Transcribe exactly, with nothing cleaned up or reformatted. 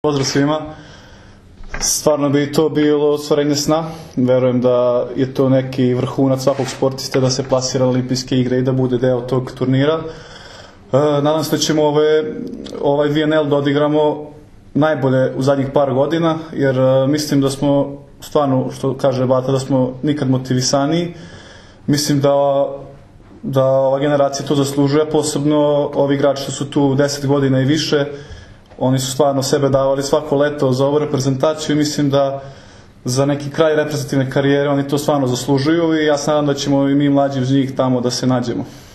Pozdrav svima. Stvarno bi to bilo ostvarenje sna. Verujem da je to neki vrhunac svakog sportiste da se plasira na olimpijske igre i da bude deo tog turnira. Nadam se da ćemo ove, ovaj V N L da odigramo najbolje u zadnjih par godina, jer mislim da smo stvarno, što kaže Bata, da smo nikad motivisaniji. Mislim da, da ova generacija to zaslužuje, posebno ovi igrači što su tu deset godina i više. Oni su stvarno sebe davali svako leto za ovu reprezentaciju i mislim da za neki kraj reprezentativne karijere oni to stvarno zaslužuju i ja se nadam da ćemo i mi mlađi uz njih tamo da se nađemo.